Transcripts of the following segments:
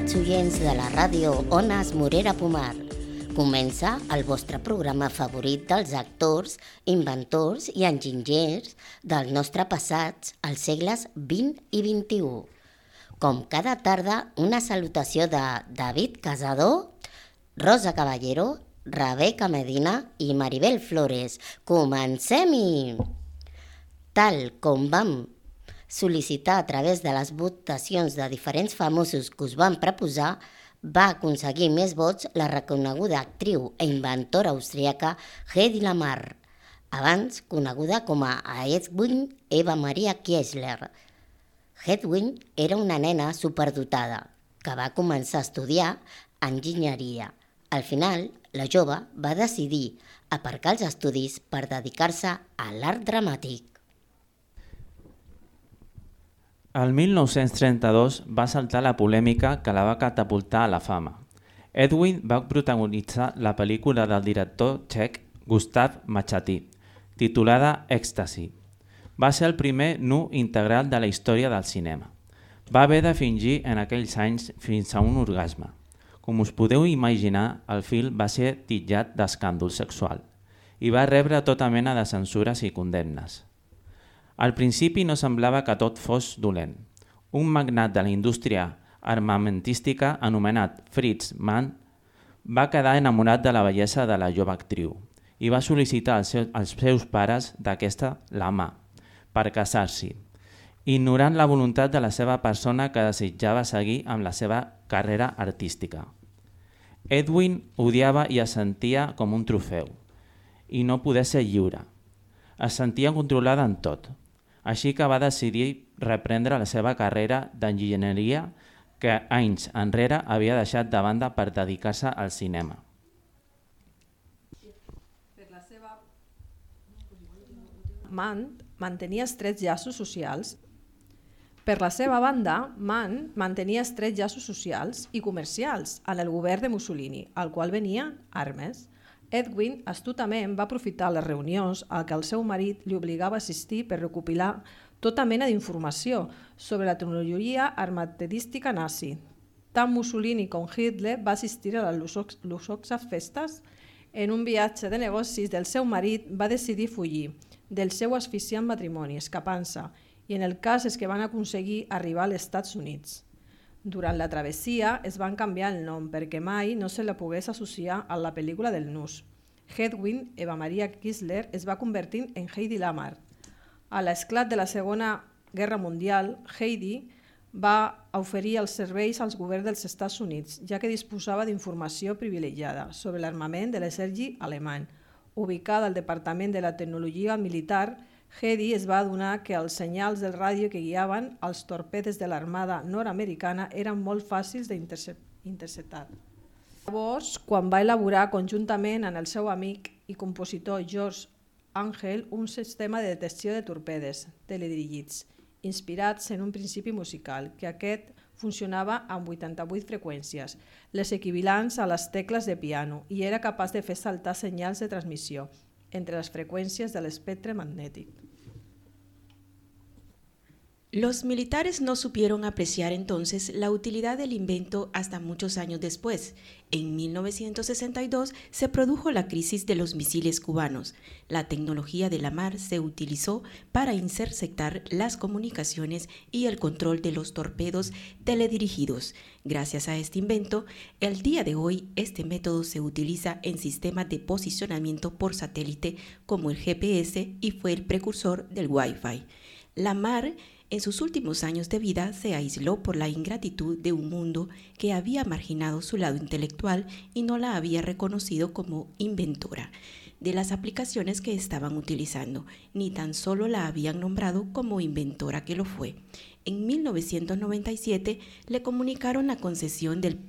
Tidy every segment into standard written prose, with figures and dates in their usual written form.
amics oients de la ràdio Ones Morera Pomar. Comença el vostre programa favorit dels actors, inventors i enginyers del nostre passat als segles XX i XXI. Com cada tarda, una salutació de David Casador, Rosa Caballero, Rebeca Medina i Maribel Flores. Comencem-hi! Tal com vam sol·licitar a través de les votacions de diferents famosos que us van proposar, va aconseguir més vots la reconeguda actriu e inventora austríaca Hedy Lamarr, abans coneguda com a Hedwig Eva Maria Kiesler. Hedwig era una nena superdotada que va començar a estudiar enginyeria. Al final, la jove va decidir aparcar els estudis per dedicar-se a l'art dramàtic. El 1932 va saltar la polèmica que la va catapultar a la fama. Hedwig va protagonitzar la pel·lícula del director txec Gustav Machatý, titulada Èxtasi. Va ser el primer nu integral de la història del cinema. Va haver de fingir en aquells anys fins a un orgasme. Com us podeu imaginar, el film va ser titllat d'escàndol sexual i va rebre tota mena de censures i condemnes. Al principi no semblava que tot fos dolent. Un magnat de la indústria armamentística anomenat Fritz Mann va quedar enamorat de la bellesa de la jove actriu i va sol·licitar als seus pares d'aquesta la mà per casar-s'hi, ignorant la voluntat de la seva persona que desitjava seguir amb la seva carrera artística. Hedwig odiava i es sentia com un trofeu i no poder ser lliure. Es sentia controlada en tot. Així que va decidir reprendre la seva carrera d'enginyeria que anys enrere havia deixat de banda per dedicar-se al cinema. Mann mantenia estrets llaços socials. Per la seva banda, Mann mantenia estrets llaços socials i comercials en el govern de Mussolini, al qual venien armes. Hedwig astutament va aprofitar les reunions a què el seu marit li obligava a assistir per recopilar tota mena d'informació sobre la tecnologia armamentística nazi. Tant Mussolini com Hitler va assistir a les luxoses festes. En un viatge de negocis del seu marit va decidir fugir del seu asfixiant matrimoni, escapant-se, i en el cas és que van aconseguir arribar als Estats Units. Durant la travessia es van canviar el nom perquè mai no se la pogués associar a la pel·lícula del nus. Hedwig Eva Maria Kiesler es va convertir en Hedy Lamarr. A l'esclat de la Segona Guerra Mundial, Hedy va oferir els serveis als governs dels Estats Units, ja que disposava d'informació privilegiada sobre l'armament de l'exèrcit alemany. Ubicada al Departament de la Tecnologia Militar, Hedy es va adonar que els senyals del ràdio que guiaven els torpedes de l'armada nord-americana eren molt fàcils d'interceptar. Llavors, quan va elaborar conjuntament amb el seu amic i compositor George Angel un sistema de detecció de torpedes teledirigits, inspirats en un principi musical, que aquest funcionava amb 88 freqüències, les equivalents a les tecles de piano, i era capaç de fer saltar senyals de transmissió entre las frecuencias del espectro magnético. Los militares no supieron apreciar entonces la utilidad del invento hasta muchos años después. En 1962 se produjo la crisis de los misiles cubanos. La tecnología de Lamarr se utilizó para interceptar las comunicaciones y el control de los torpedos teledirigidos. Gracias a este invento, el día de hoy este método se utiliza en sistemas de posicionamiento por satélite como el GPS y fue el precursor del Wi-Fi. Lamarr en sus últimos años de vida se aisló por la ingratitud de un mundo que había marginado su lado intelectual y no la había reconocido como inventora de las aplicaciones que estaban utilizando, ni tan solo la habían nombrado como inventora que lo fue. En 1997 le comunicaron la concesión del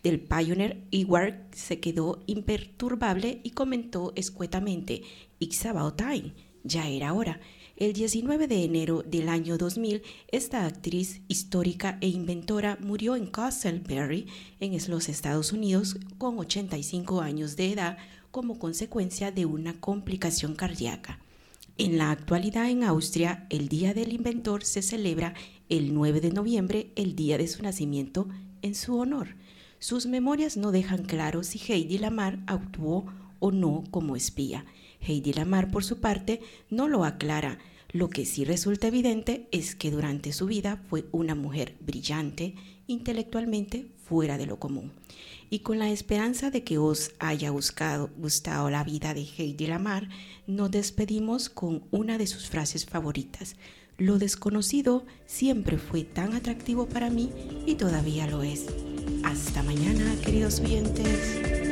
Pioneer y Ward se quedó imperturbable y comentó escuetamente: "It's about time", ya era hora. El 19 de enero del año 2000, esta actriz histórica e inventora murió en Castleberry, en los Estados Unidos, con 85 años de edad como consecuencia de una complicación cardíaca. En la actualidad en Austria, el Día del Inventor se celebra el 9 de noviembre, el día de su nacimiento en su honor. Sus memorias no dejan claro si Heidi Lamar actuó o no como espía. Heidi Lamar, por su parte, no lo aclara. Lo que sí resulta evidente es que durante su vida fue una mujer brillante, intelectualmente fuera de lo común. Y con la esperanza de que os haya gustado la vida de Heidi Lamar, nos despedimos con una de sus frases favoritas. Lo desconocido siempre fue tan atractivo para mí y todavía lo es. Hasta mañana, queridos oyentes.